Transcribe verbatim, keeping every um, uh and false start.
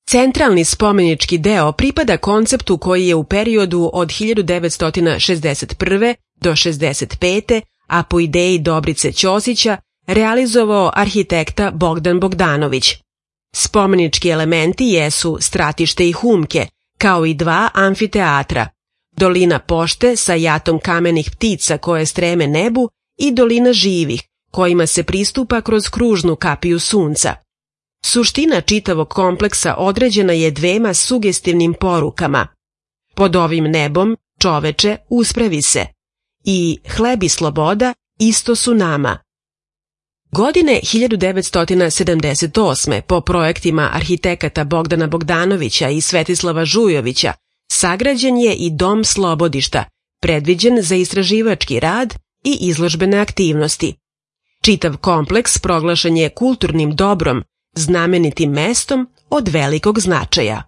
Centralni spomenički deo pripada konceptu koji je u periodu od hiljadu devetsto šezdeset prve do šezdeset pete, a po ideji Dobrice Ćosića, realizovao arhitekta Bogdan Bogdanović. Spomenički elementi jesu stratište i humke, kao i dva amfiteatra, dolina pošte sa jatom kamenih ptica koje streme nebu i dolina živih, kojima se pristupa kroz kružnu kapiju sunca. Suština čitavog kompleksa određena je dvema sugestivnim porukama. Pod ovim nebom, čoveče, uspravi se. I hleb i sloboda isto su nama. Godine hiljadu devetsto sedamdeset osme po projektima arhitekata Bogdana Bogdanovića i Svetislava Žujovića sagrađen je i Dom Slobodišta, predviđen za istraživački rad i izložbene aktivnosti. Čitav kompleks proglašen je kulturnim dobrom, znamenitim mestom od velikog značaja.